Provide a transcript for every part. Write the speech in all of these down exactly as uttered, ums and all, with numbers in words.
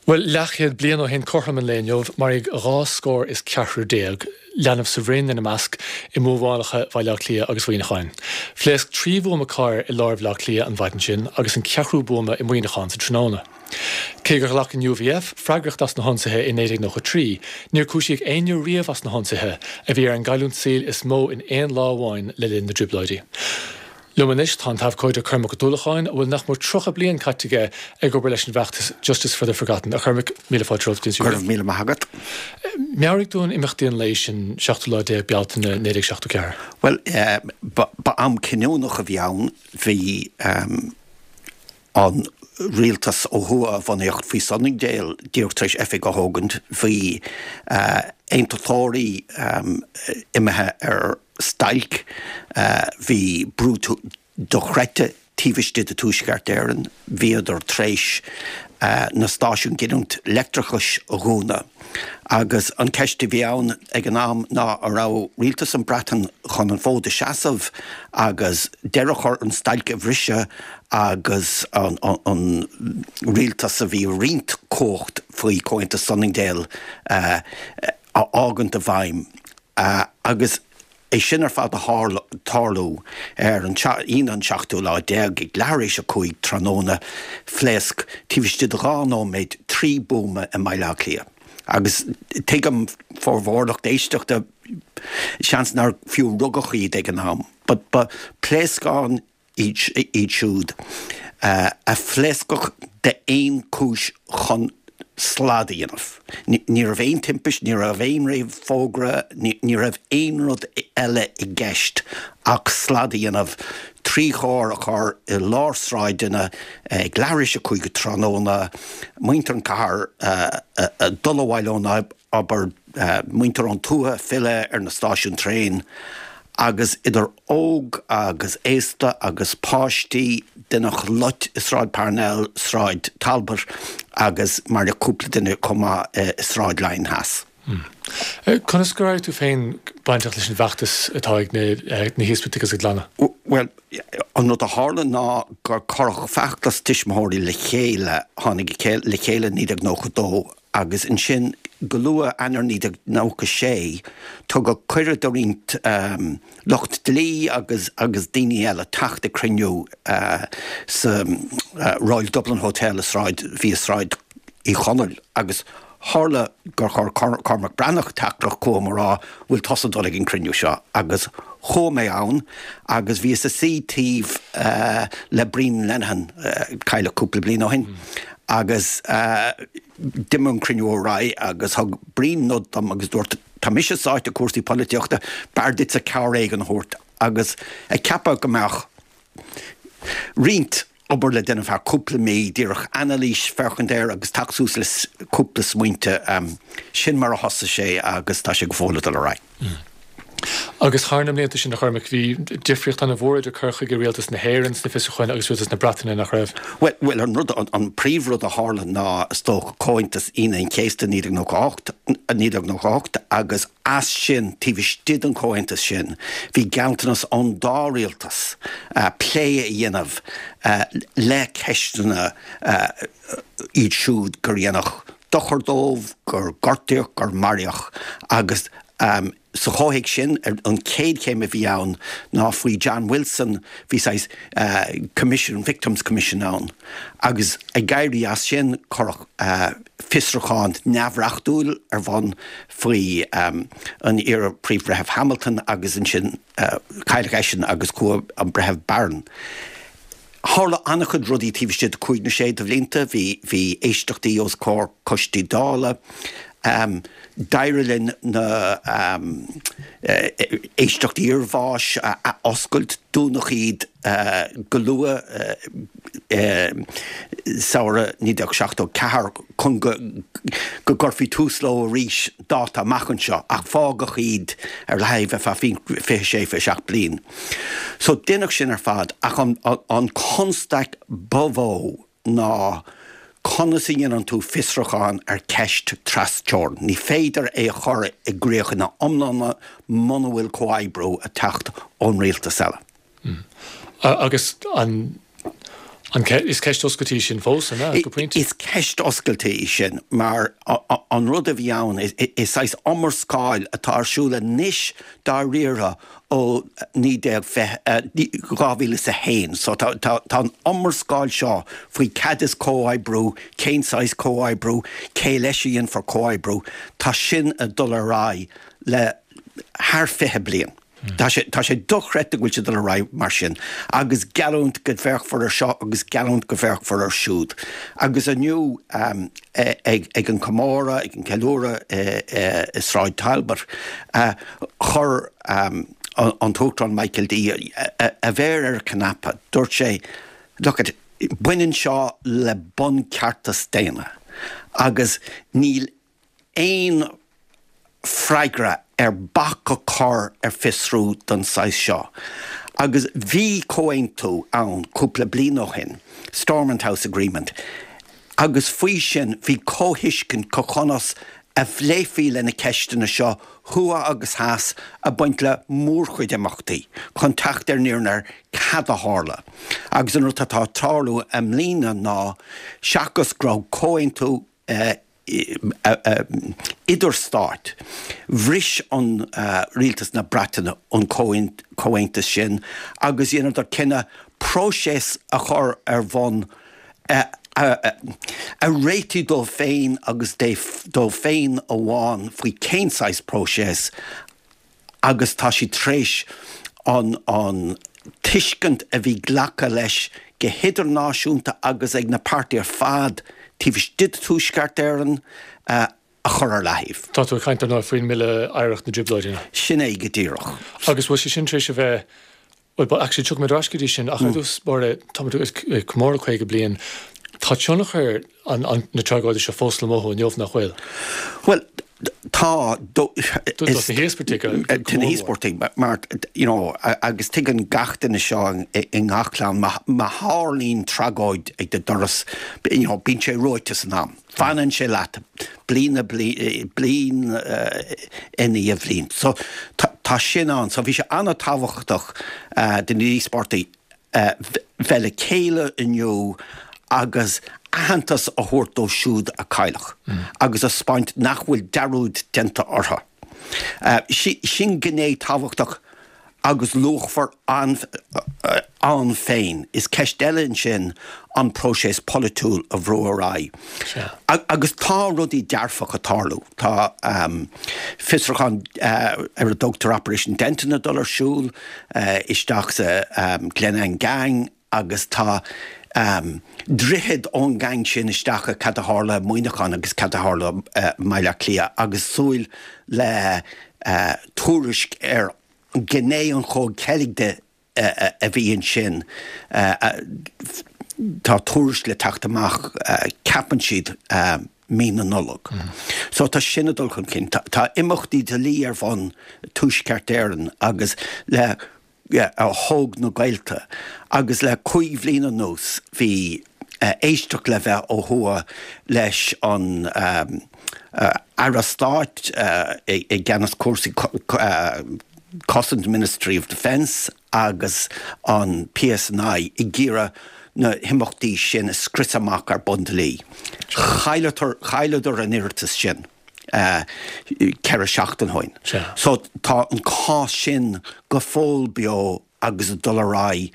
Bhuel, leathchéad bliain ó shin cothrom an lae inniu, maraíodh dhá scór is ceathrar déag, leanbh sa bhroinn ina measc, i mbuabhálacha Bhaile Átha Cliath agus Mhuineacháin. Phléasc trí bhuama cairr i lár Bhaile Átha Cliath an mhaidin sin agus an ceathrú buama i Muineachán sa tráthnóna. Cé gur ghlac an U V F freagracht as na hionsaithe i naoi déag nócha trí, níor cúisíodh éinne riamh as na hionsaithe a bhí ar an gcailliúint saoil is mó in aon lá amháin le linn na dTrioblóidí. Liom anois tá an t-abhcóide Cormac Ó Dúlacháin, a bhfuil nach mór tríocha bliain caite aige ag obair leis an bhfeachtas Justice for the Forgotten. A Chormaic, míle fáilte romhat. Go raibh míle maith agat. Meabhraigh dúinn imeachtaí an lae sin, seachtú lá déag Bealtaine naoi déag seachtó ceathair. Well, uh, ba, ba am cinniúnach a bhí ann. Bhí um, an rialtas ó thuaidh a bunaíodh faoi Sunningdale díreach tar éis oifig a thógaint. Bhí uh, aontachtóirí um, imithe ar stailc, uh, bhí brú dochreidte taobh istigh de Tuaisceart Éireann. Bhíodar tar éis uh, na stáisiúin giniúint leictreachais a dhúnadh. Agus an ceist a bhí ann ag an am ná an raibh rialtas an Breatain chun an fód a seasamh agus deireadh a chur an stailc a bhriseadh agus an, an, an rialtas a bhí roinnt cumhacht faoi Comhaontas Sunningdale uh, a fhágaint i bhfeidhm. Uh, agus é sin ar fad a tarlú ar an Aoine an seachtú lá déag ag leathuair tar éis a cúig tráthnóna, phléasc taobh istigh de dhá nóiméad trí buama i mBaile Átha Cliath. Agus tuigim formhór lucht éisteachta, seans nár fiú rugadh iad ag an am, but ba pléascáin iad siúd uh, a phléascfadh d'aon chúis chun slad a dhéanamh. Ní raibh aon timpiste, ní raibh aon réamhfhógra, ní raibh aon rud eile i gceist ach slad a dhéanamh, trí charr a chur i lár sráideanna ag leathuair tar éis a cúig tráthnóna, muintir an cathair dul abhaile ón obair, muintir ón tuath filleadh ar na stáisiúin traein, agus idir óg agus aosta agus páistí deineadh loit i Sráid Parnell, Sráid Talbot agus mar le cúpla duine chomh maith i Sráid Laighean Theas. Hmm. Conas gur éirigh tú féin bainteach leis an bhfeachtas atá ag na híospartaigh agus a gclanna? Well, an rud a tharla ná gur cuireadh feachtas tuismitheoirí le chéile, tháinig le chéile naoi déag nócha dó, agus ansin go luath Eanáir naoi déag nócha sé tugadh cuireadh do roinnt um, lucht dlí agus agus daoine eile teacht ag cruinniú uh, sa uh, Royal Dublin Hotel i Sráid bhí Sráid Uí Chonaill, agus tharla gur chuir Cormac Breathnach teachtaireacht chugam ag rá, "Bhfuil tusa dul ag an cruinniú seo?" Agus chuaigh mé ann agus bhíos ag suí taobh uh, le Brian Lenihan, uh, cailleadh cúpla bliain ó shin mm. agus uh, d'imigh an cruinniú ar aghaidh agus thug Brian nod dom agus dúirt, "Tá mise sáite i cúrsaí polaitíochta, b'fhearr duitse cabhair éigin a thabhairt," agus ag ceapadh go mbeadh roinnt obair le déanamh thar cúpla mí, díreach anailís féachaint air agus teacht suas le cúpla smaointe. um, sin mar a thosaigh sé agus tá sé go fóill ag dul ar aghaidh. Mm. Agus thar na mblianta sin, a Chormaic, bhí difríocht an-mhór idir cur chuige rialtas na hÉireann sna fiosrúcháin agus rialtas na Breataine, nach raibh? Well, well an rud an, an príomhrud a tharla ná is dócha Comhaontas Aoine an Chéasta naoi déag nócha ocht agus as sin, taobh istigh den chomhaontas sin, bhí gealltanas ón dá rialtas uh, plé a dhéanamh uh, le ceisteanna uh, iad siúd gur deineadh dochar dóibh, gur gortaíodh, gur maraíodh, agus um, sa chomhthéacs sin, an chéad chéim a bhí ann ná faoi John Wilson bhí sais uh, Commission, Victims Commission ann, agus ag éirí as sin cuireadh uh, fiosrúchán neamhreachtúil ar bun faoi um, an iar-Phríomh-Bhreitheamh Hamilton, agus ansin uh, cailleadh eisean agus chuaigh an breitheamh Barron. Tharla an-chuid rudaí taobh istigh de cúig nó sé de bhlianta. Bhí bhí éisteachtaí os comhair coistí Dála. Um, D'éirigh linn na um, éisteachtaí iarbháis a, a oscailt. Dúnadh iad uh, go luath uh, uh, samhradh naoi déag seachtó ceathair chun go go gcuirfí tús leo arís dáta amach anseo, ach fágadh iad ar leataobh ar feadh fiche sé fiche seacht bliain. So deineadh sin ar fad, ach an, an, an constaic ba mhó ná conas a dhéanann tú fiosrúchán ar cheist trasteorann? Ní féidir é a chur i gcrích ina iomláine muna bhfuil comhoibriú ag teacht ón rialtas eile. Mm. Agus an An is ceist oscailte í sin fós, an ea, go pointe? Is ceist oscailte í sin, mar an rud a bhí ann, is saghas iomrascáil atá ar siúl anois dáiríre ó naoi déag fiche, dhá mhíle is a haon. So tá an iomrascáil seo faoi cad is comhoibriú, cén saghas comhoibriú, cé leis a dhéanfar comhoibriú, tá sin ag dul ar aghaidh le thar fiche bliain. Tá sé, tá sé dochreidte go bhfuil sé ag dul ar aghaidh mar sin agus geallúint go bhféachfar ar seo agus geallúint go bhféachfar ar siúd. Agus inniu ag, ag an comóradh, ag an ceiliúradh i Sráid Talbot, chuir an tUachtarán Michael D a mhéar ar an chnaipe. Dúirt sé, Look it, baineann seo le buncheartas daonna agus níl aon freagra ar bac a chur ar fiosrú den saghas seo. Agus bhí comhaontú ann cúpla bliain ó shin, Stormont House Agreement, agus faoi sin bhí comhthuiscint conas a phléifí le na ceisteanna seo thuaidh agus theas a baint le mórchuid imeachtaí chun teacht ar an fhírinne ar cad a tharla. Agus an rud atá ag tarlú i mbliana ná seachas go raibh comhaontú idirstáit. Bhris an rialtas na Breataine an comhaontas sin agus dheineadar cinneadh próiseas a chur ar bhun a réitigh dóibh féin agus dóibh féin amháin faoi cén saghas próiseas agus tá siad tar éis an an tuiscint a bhí glactha leis go hidirnáisiúnta agus ag na páirtithe ar fad taobh istigh de Tuaisceart Éireann a chur ar leathaobh. Tá tú ag caint ar ndóigh faoin mBille Oidhreacht na dTrioblóidí. Sin é go díreach. Agus bhfuil sé sin tar éis a bheith, bhuel, actually tiocfaidh muid ar ais go dtí sin ach ar dtús báire táimid ag comóradh caoga bliain. Tá tionchar na tragóide seo fós le mothú inniu, nach bhfuil? Bhuel, tá. Do na híospartaigh go mór. Do na híospartaigh, mar, you know, agus tuigeann gach duine seo i ngach clann, má tharlaíonn tragóid ag do doras, you know, bíonn sé reoite san am. Fanann sé leat bliain, bliain i ndiaidh bhliain. So, tá sin ann. So, bhí sé an-tábhachtach do na híospartaigh bheith le chéile inniu agus aitheantas a thabhairt dóibh siúd a cailleadh agus a 'speáint nach bhfuil dearúd déanta orthu. Sin gné tábhachtach agus luachmhar ann féin. Is ceist eile ansin an próiseas polaitiúil a bhrú ar aghaidh. Agus tá rudaí dearfacha ag tarlú. Tá fiosrúchán ar a dtugtar Operation Denton ag dul ar siúl isteach sa Glenanne Gang agus tá droichead ón gang sin isteach i cad a tharla i Muineachán agus cad a tharla i mBaile Átha Cliath agus súil le tuairisc ar ghné an chomhcheilg de a bhí ansin. Tá tuairisc le teacht amach, ceapann siad, mí na Nollag. So tá sin ag dul chun cinn. Tá imeachtaí dlí ar bhun Tuaisceart Éireann agus le a thóg na gaolta agus le cúig bhliain anuas bhí éisteacht le bheith ó thuaidh leis an Aire Stáit i gceannas cúrsaí Cosaint Ministry of Defence agus an PSNI ag iarraidh na himeachtaí sin a scriosadh amach ar bun dlí. Chailleadar an iarratas sin. ceithre seachtain ó shin. So tá an cás sin go fóill beo agus ag dul ar aghaidh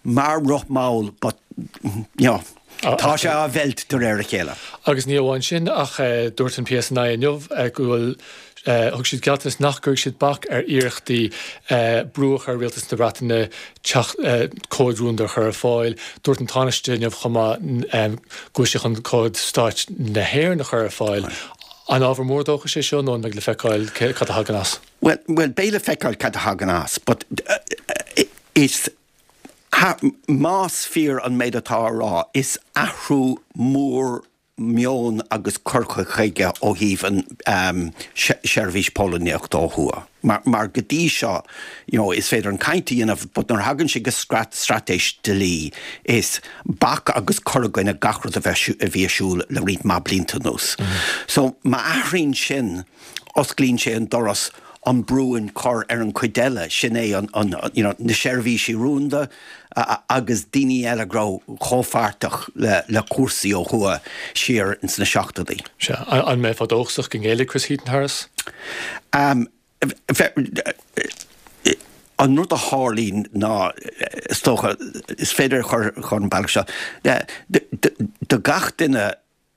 mar roth mall but you know tá sé á mheilt de réir a chéile. Agus ní amháin sin ach dúirt an PSNI inniu go bhfuil thug siad gealltanas nach gcuirfidh siad bac ar iarrachtaí brú a chur ar Rialtas na Breataine teacht comhad rúnda a chur ar fáil. Dúirt an Tánaiste inniu chomh maith go bhfuil sé chun comhad stáit na hÉireann a chur ar fáil. An ábhar mór dóchais é seo nó an mbeidh le feiceáil cad a thagann as? Bhuel, bhuel, beidh le feiceáil cad a thagann as, but is, más fíor an méid atá á rá, is athrú mór meoin agus cur chuige ó thaobh an seirbhís póilíneachta ó thuaidh. Mar, mar go dtí seo, you know, is féidir an caint a dhéanamh but nuair a thagann sé go straitéis dlí, is bac agus cur i gcoinne gach rud a bheith, a bhí ar siúl le roinnt mhaith blianta anuas. So, má athraíonn sin, osclaíonn sé an doras an brú an cur ar an chuid eile, sin é an, an, you know, na seirbhísí rúnda agus daoine eile go raibh comhpháirteach le, le cúrsaí ó thuaidh siar ins na seachtóidí. Sea, an mbeifeá dóchasach go ngéillfidh Chris Heaton-Harris? Um, an rud a tharlaíonn ná, is dócha, is féidir a chur chun an bealach seo, do gach duine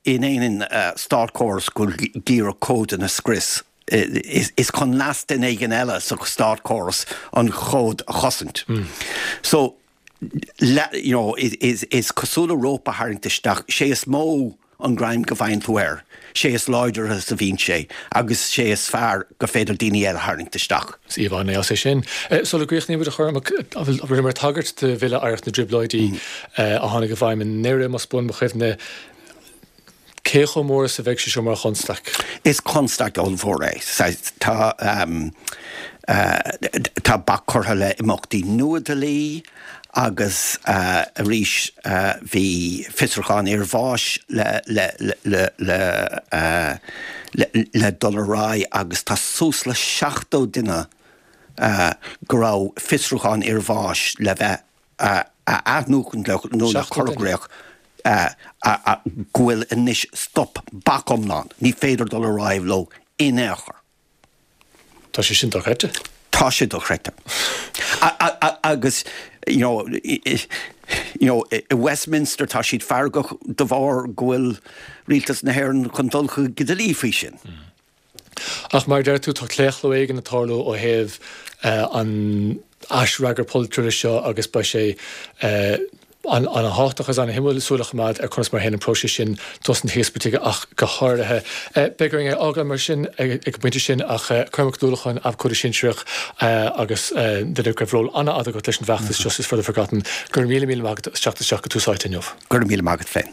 in aon státchóras go bhfuil ag iarraidh códanna a scrios, is chun leas duine éigin eile sa státchóras an chód a chosaint. So, you know, is is cosúil le rópa a tharraingt isteach, sé is mó an greim go bhfaigheann tú air, sé is láidre is a bhíonn sé agus sé is fearr go féidir daoine eile a tharraingt isteach. Is íomhá an-dheas é sin. Sula gcríochnaímid, a Chormaic, rinneamar tagairt do Bhille Oidhreacht na dTrioblóidí a tháinig i bhfeidhm i nDoire, más buan mo chuimhne. Cé chomh mór is a bheidh sé seo mar chonstaic? Is constaic ollmhór é. Tá tá bac curtha le imeachtaí nua dlí agus arís bhí fiosrúchán iarbháis le le le le le dul ar aghaidh agus tá suas le seachtó duine go raibh fiosrúchán iarbháis le bheith a athnuachan nó le cur i gcrích go bhfuil anois stop, bac iomlán, ní féidir dul ar aghaidh leo in aon chor. Tá sé sin dochreidte. Tá sé dochreidte. Agus you know, you know, i Westminster tá siad feargach de bharr go bhfuil rialtas na hÉireann chun dul chuig dlí faoi sin. Ach mar a deir tú, tá claochlú éigin ag tarlú ó thaobh an aisfhreagairt polaitiúil seo agus beidh sé an-tábhachtach agus an-shuimiúil súil a choimeád ar conas mar a théann an próiseas sin dos na híospartaigh ach go háirithe. Beidh orainn é a fhágáil mar sin ag an bpointe sin ach Cormac Ó Dúlacháin, abhcóide sinsearach agus duine go raibh ról an-fhada agat leis an bhfeachtas Justice for the Forgotten, go raibh míle míle maith agat as teacht isteach go Tús Áite inniu. Go raibh míle maith agat féin.